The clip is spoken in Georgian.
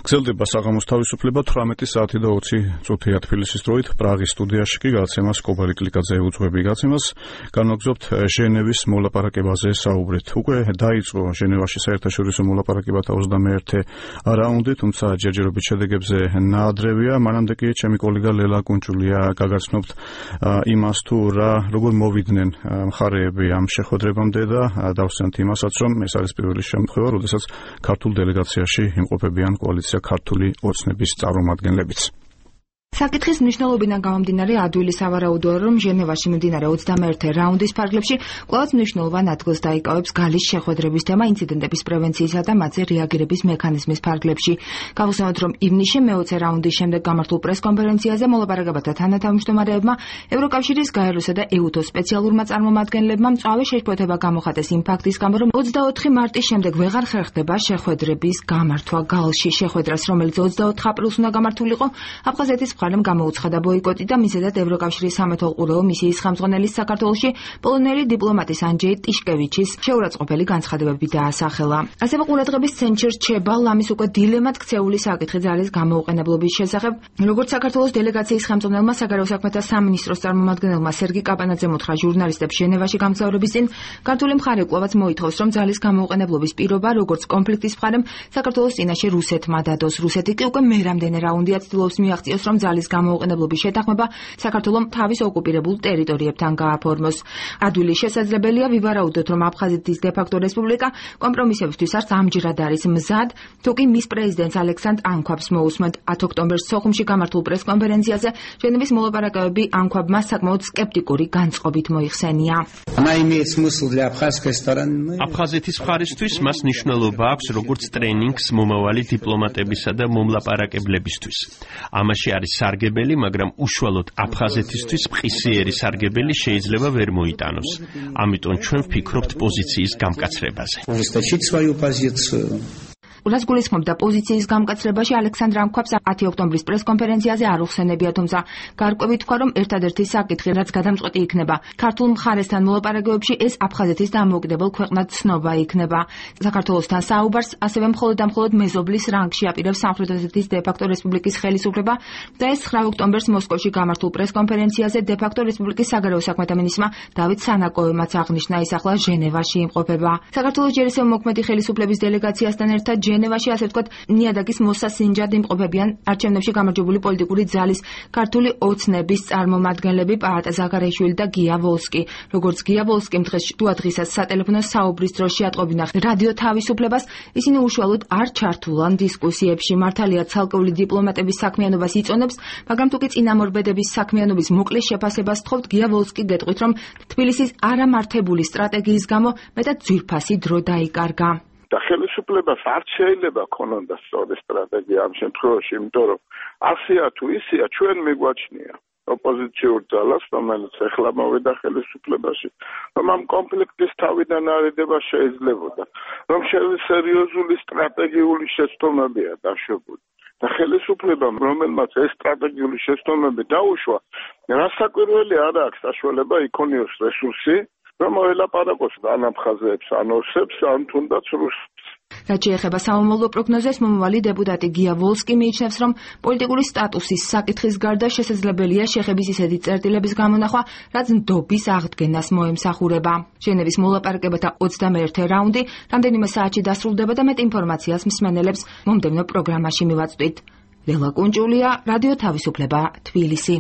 გრძელდება საღამოს თავისუფლება 18 საათი და 20 წუთია თბილისის დროით. პრაღის სტუდიაში კი გადაცემას კობალი კლიკაძე უძღვები. გადაცემას განვაგრძობთ ჟენევის მოლაპარაკებაზე საუბრით. უკვე დაიწყო ჟენევაში საერთაშორისო მოლაპარაკებათა 21 რაუნდი, თუმცა ჯერჯერობით შედეგებზე ნაადრევია. მანამდე კი ჩემი კოლეგა ლელა კუნჭულია გაგაცნობთ იმას თუ როგორ მოვიდნენ მხარეები ამ შეხვედრებამდე და დავსვენთ იმასაც, რომ ეს არის პირველი შემთხვევა, როდესაც ქართულ დელეგაციაში იმყოფებიან კოალიცია ქართული ოცნების წარმომადგენლებიც. საკითხის მნიშვნელობიდან გამომდინარე ადვილი სავარაუდოა, რომ ჟენევაში მიმდინარე 21 რაუნდის ფარგლებში კვლავაც მნიშვნელოვან ადგილს დაიკავებს გალის შეხვედრების თემა ინციდენტების პრევენციისა და მათზე რეაგირების მექანიზმის ფარგლებში. გავხსენოთ, რომ ივნისში მე-20 რაუნდის შემდეგ გამართულ პრესკონფერენციაზე მოლაპარაკებათა თანათავმჯდომარეებმა ევროკავშირის გაეროსა და EUTO-ს სპეციალურმა წარმომადგენლებმა მწვავე შეშფოთება გამოხატეს იმ ფაქტის გამო, რომ 24 მარტის შემდეგ ვეღარ ხერხდება შეხვედრების გამართვა გალში. შეხვედრას, რომელიც 24 აპრილს უნდა გამართულიყო, აფხაზეთის მხარემ გამოუცხადა ბოიკოტი და მისედად ევროკავშირის სამეთვალყურეო მისიის ხელმძღვანელის საქართველოში პოლონელი დიპლომატის ანჯეი ტიშკევიჩის შეურაცხყოფელი განცხადებები დაასახელა. ასევე ყურადღების ცენტრში რჩება ლამის უკვე დილემად ქცეული საკითხი ძალის გამოუყენებლობის შესახებ. როგორც საქართველოს დელეგაციის ხელმძღვანელმა საგარეო საქმეთა სამინისტროს წარმომადგენელმა სერგი კაპანაძემ უთხრა ჟურნალისტებს ჟენევაში გამგზავრების წინ, ქართული მხარე კვლავაც მოითხოვს, რომ ძალის გამოუყენებლობის პირობა, როგორც კონფლიქტის მხარემ, საქართველოს წინაშე რუსეთმა დადოს. რუსეთი კი უკვე მერამდენე რაუნდია ცდილობს მიაღწიოს, რომ ძალის გამოუყენებლობის შეთანხმება საქართველომ თავის ოკუპირებულ ტერიტორიებთან გააფორმოს. ადვილი შესაძლებელია ვივარაუდოთ, რომ აფხაზეთის დე-ფაქტო რესპუბლიკა კომპრომისებისთვის არც ამჯერად არის მზად, თუკი მის პრეზიდენტს ალექსანდრ ანქვაბს მოусმენთ. 10 ოქტომბერს სოხუმში გამართულ პრესკონფერენციაზე ჟენევის მოლაპარაკებები ანქვაბმა საკმაოდ სკეპტიკური განწყობით მოიხსენია. აფხაზეთის მხარისთვის მას მნიშვნელობა აქვს როგორც ტრენინგს მომავალი დიპლომატებისა და მომლაპარაკებლებისთვის. ამაში არის სარგებელი, მაგრამ უშუალოდ აფხაზეთისთვის მყისიერი სარგებელი შეიძლება ვერ მოიტანოს. ამიტომ ჩვენ ვფიქრობთ პოზიციის გამკაცრებაზე. რაც გულისხმობდა პოზიციის გამკაცრებაში ალექსანდრ ანქვაბს 10 ოქტომბრის პრესკონფერენციაზე არ უხსენებია, თუმცა გარკვევით თქვა, რომ ერთადერთი საკითხი, რაც გადამწყვეტი იქნება ქართულ მხარესთან მოლაპარაკებებში, ეს აფხაზეთის დამოუკიდებელ ქვეყნად ცნობა იქნება. საქართველოსთან საუბარს ასევე მხოლოდ და მხოლოდ მეზობლის რანგში აპირებს სამხრეთ ოსეთის დე-ფაქტო რესპუბლიკის ხელისუფლება და ეს 9 ოქტომბერს მოსკოვში გამართულ პრესკონფერენციაზე დე-ფაქტო რესპუბლიკის საგარეო საქმეთა მინისტრმა დავით სანაკოევმაც აღნიშნა, ის ახლა ჟენევაში იმყოფება. საქართველოს ჯერ მოქმედი ხელისუფლების დელეგაციასთან ერთად ჟენევაში, ასე ვთქვათ, ნიადაგის მოსასინჯად იმყოფებიან არჩევნებში გამარჯვებული პოლიტიკური ძალის ქართული ოცნების წარმომადგენლები პაატა ზაგარეიშვილი და გია ვოლსკი. როგორც გია ვოლსკიმ დღესაც სატელეფონო საუბრის დროს შეატყობინა რადიო თავისუფლებას, ისინი უშუალოდ არ ჩართულან დისკუსიებში. მართალია ცალკეული დიპლომატების საქმიანობას იწონებს, მაგრამ თუკი წინამორბედების საქმიანობის მოკლე შეფასებას თხოვთ, გია ვოლსკი გეტყვით, რომ თბილისის არამართებული სტრატეგიის გამო მეტად ძვირფასი დრო დაიკარგა. და ხელისუფლებას არ შეიძლება ქონონდა სწორი სტრატეგია ამ შემთხვევაში, იმიტომ რომ ასეა თუ ისეა ჩვენ მიგვაჩნია ოპოზიციურ ძალას, რომელიც ეხლა მოვიდა ხელისუფლებაში, რომ ამ კონფლიქტის თავიდან არიდება შეიძლებოდა, რომ სერიოზული სტრატეგიული შეცდომებია დაშვებული. და ხელისუფლებამ, რომელმაც ეს სტრატეგიული შეცდომები დაუშვა, რასაკვირველი არ აქვს საშუალება იქონიოს რესურსი, რომ მოელაპარაკოს ან აფხაზებს, ან ოსებს, ან თუნდაც რუსებს. რაც შეეხება სამომავლო პროგნოზებს, მომავალი დეპუტატი გია ვოლსკი მიიჩნევს, რომ პოლიტიკური სტატუსის საკითხის გარდა შესაძლებელია შეხების ისეთი წერტილების გამონახვა, რაც ნდობის აღდგენას მოემსახურება. ჟენევის მოლაპარაკებათა 21 რაუნდი რამდენიმე საათში დასრულდება და მეტ ინფორმაციას მსმენელებს მომდევნო პროგრამაში მივაწვდით. ლელა კუნჭულია, რადიო თავისუფლება, თბილისი.